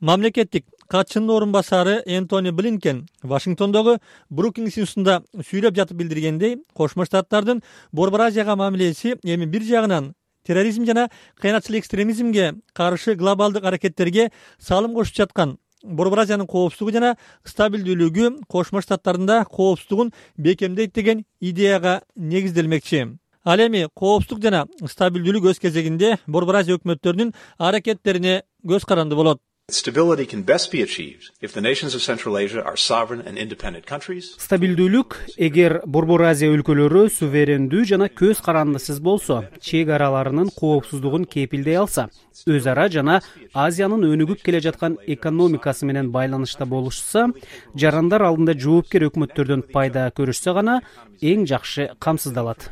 Мамлекеттик катчынын орун басары Энтони Блинкен Вашингтондогу Брукингс институтунда сүйлөп жатып билдиргендей, Кошмо Штаттардын Борбор Азияга мамилеси эми бир жагынан терроризм жана кыянатчыл экстремизмге каршы глобалдык аракеттерге салым кошуп жаткан Борбор Азиянын коопсуздугу жана стабилдүүлүгү Кошмо Штаттарында коопсуздугун бекемдейт деген идеяга негизделмекчи. Ал эми коопсуздук жана стабилдүүлүк өз кезегинде Борбор Азия өкмөттөрүнүн аракеттерине көз каранды болот. Stability can best be achieved if the nations of Central Asia are sovereign and independent countries. Стабилдүүлүк эгер Борбор Азия өлкөлөрү суверендүү жана көз карандысыз болсо, чек араларынын коопсуздугун кепилдей алса, өз ара жана Азиянын өнүгүп келе жаткан экономикасы менен байланышта болушса, жарандар алдында жоопкер өкмөттөрдөн пайда көрүшсө гана эң жакшы камсыздалат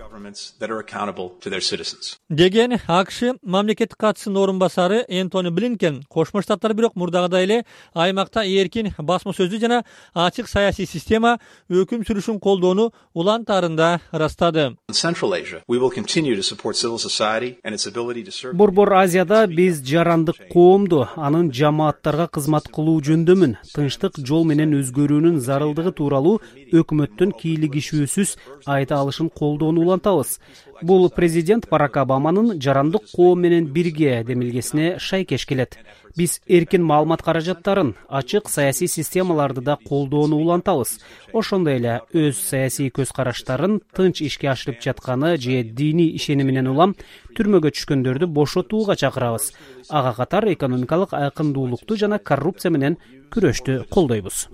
деген АКШ мамлекеттик катчысынын орун басары Энтони Блинкен Кошмо Штаттар бирок мурдагыдай эле аймакта эркин басма сөздү жана ачык саясий система өкүм сүрүшүн колдоону улантаарында ырастады. Борбор Азияда биз жарандык коомду анын жамааттарга кызмат кылуу жөндөмүн, тынчтык жол менен өзгөрүүнүн зарылдыгы тууралуу өкмөттүн кийлигишүүсүз айта алышын колдоону улантабыз. Бул президент Барак Обаманын жарандык коом менен бирге демилгесине шайкеш келет. Биз эркин маалымат каражаттарын, ачык саясий системаларды да колдоону улантабыз. Ошондой эле өз саясий көз караштарын тынч ишке ашырып жатканы же диний ишениминен улам түрмөгө түшкөндөрдү бошотууга чакырабыз. Ага катар экономикалык айкындуулукту жана коррупция менен күрөштү колдойбуз.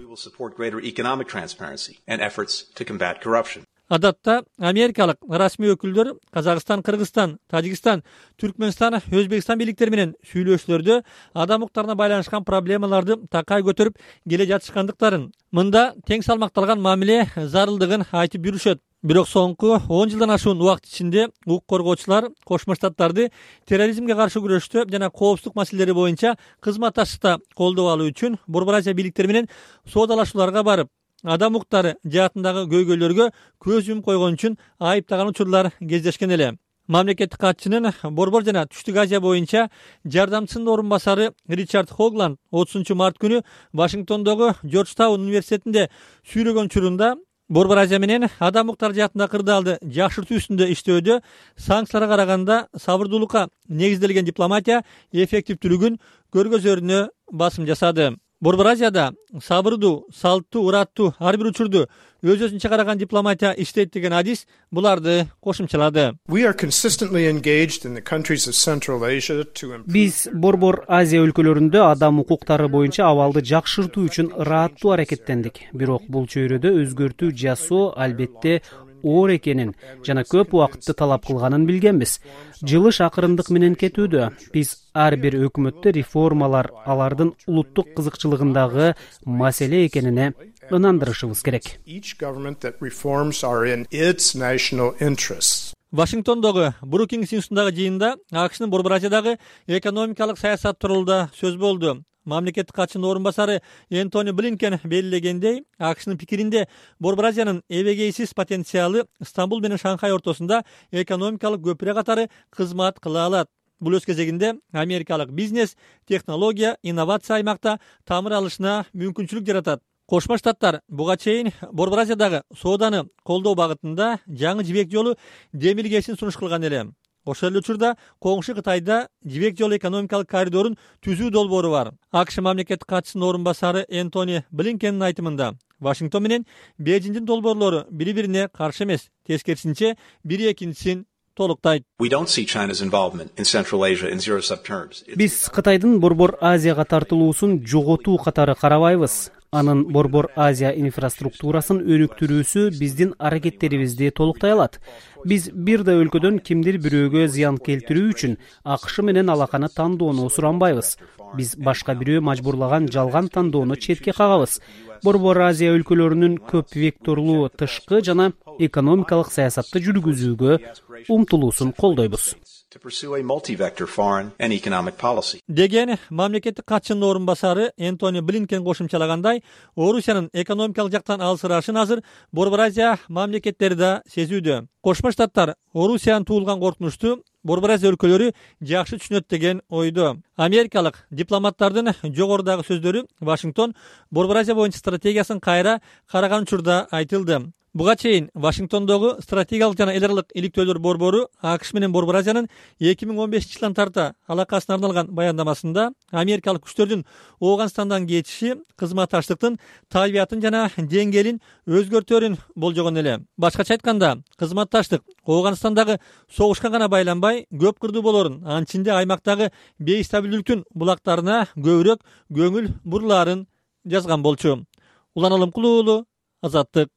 Адатта америкалык расмий өкүлдөр Казакстан, Кыргызстан, Тажикстан, Түркмөнстан, Өзбекстан бийликтери менен сүйлөшүүлөрдө адам укуктарына байланышкан проблемаларды такай көтөрүп келе жатышкандыктарын, мында тең салмакталган мамиле зарылдыгын айтып жүрүшөт. Бирок соңку 10 жылдан ашуун убакыт ичинде укук коргоочулар Кошмо Штаттарды терроризмге каршы күрөштө жана коопсуздук маселелери боюнча кызматташтыкта колдоп алуу үчүн Борбор Азия бийликтери менен соодалашууларга барып, адам укуктары жаатындагы көйгөйлөргө көз юмуп койгон үчүн айыптаган учурлар кездешкен эле. Мамлекеттик катчынын Борбор жана Түштүк Азия боюнча жардамчысынын орун басары Ричард Хогланд 30 март күнү Вашингтондогу Джорджтаун университетинде сүйлөгөн учурунда Борбор Азия менен адам укуктары жаатындагы кырдаалды жакшыртуу үстүндө иштөөдө санкцияларга караганда сабырдуулукка негизделген дипломатия эффективдүүлүгүн көргөзөрүнө басым жасады. Борбор Азияда сабырдуу, салттуу, ураттуу ар бир учурду өз-өзүнчө караган дипломатия иштейт деген адис буларды кошумчалады. Биз Борбор Азия өлкөлөрүндө адам укуктары боюнча абалды жакшыртуу үчүн ыраттуу аракеттендик. Бирок бул чөйрөдө өзгөртүү жасоо албетте оор экенин жана көп убакытты талап кылганын билгенбиз. Жылыш акырындык менен кетүүдө. Биз ар бир өкмөттө реформалар алардын улуттук кызыкчылыгындагы маселе экенине ынандырышыбыз керек. Вашингтондогу Брукингс институтундагы жыйында АКШнын Борбор Азиядагы экономикалык саясат тууралуу да сөз болду. Мамлекеттик катчынын орун басары Энтони Блинкен белгилегендей, АКШнын пикиринде Борбор Азиянын эбегейсиз потенциалы Стамбул менен Шанхай ортосунда экономикалык көпүрө катары кызмат кыла алат. Бул өз кезегинде америкалык бизнес, технология, инновация аймакта тамыр алышына мүмкүнчүлүк жаратат. Кошмо Штаттар буга чейин Борбор Азиядагы сооданы колдоо багытында жаңы жибек жолу демилгесин сунуш кылган эле. Ошол эле учурда коңшу Кытайда жибек жолу экономикалык коридорун түзүү долбоору бар. АКШ мамлекеттик катчысынын орун басары Энтони Блинкендин айтымында, Вашингтон менен Бейжиңдин долбоорлору бири-бирине каршы эмес, тескерисинче бири экинчисин толуктайт. Биз Кытайдын Борбор Азияга тартылуусун жоготуу катары карабайбыз. Анын Борбор Азия инфраструктурасын өнүктүрүүсү биздин аракеттерибизди толуктай алат. Биз бир да өлкөдөн кимдир бирөөгө зыян келтирүү үчүн АКШ менен алаканы тандоону суранбайбыз. Биз башка бирөө мажбурлаган жалган тандоону четке кагабыз. Борбор Азия өлкөлөрүнүн көп векторлуу тышкы жана экономикалык саясатты жүргүзүүгө умтулуусун колдойбуз. Деген мамлекеттик катчынын орун басары Энтони Блинкен кошумчалагандай, Орусиянын экономикалык жактан алсырашын азыр Борбор Азия мамлекеттери да сезүүдө. Кошмо Штаттар Орусиянын туулган коркунучту Борбор Азия өлкөлөрү жакшы түшүнөт деген ойдо. Америкалык дипломаттардын жогорудагы сөздөрү Вашингтон Борбор Азия боюнча стратегиясын кайра караган учурда айтылды. Буга чейин Вашингтондогу стратегиялык жана эл аралык иликтөөлөр борбору АКШ менен Борбор Азиянын 2015-жылдан тарта алакасына арналган баяндамасында америкалык күчтөрдүн Ооганстандан кетиши кызматташтыктын табиятын жана деңгээлин өзгөртөөрүн болжогон эле. Башкача айтканда, кызматташтык Ооганстандагы согушка гана байланбай, көп кырдуу болоорун, анын ичинде аймактагы бейстабилдүүлүктүн булактарына көбүрөөк көңүл бурулаарын жазган болчу. Улан Алымкулуу, Азаттык.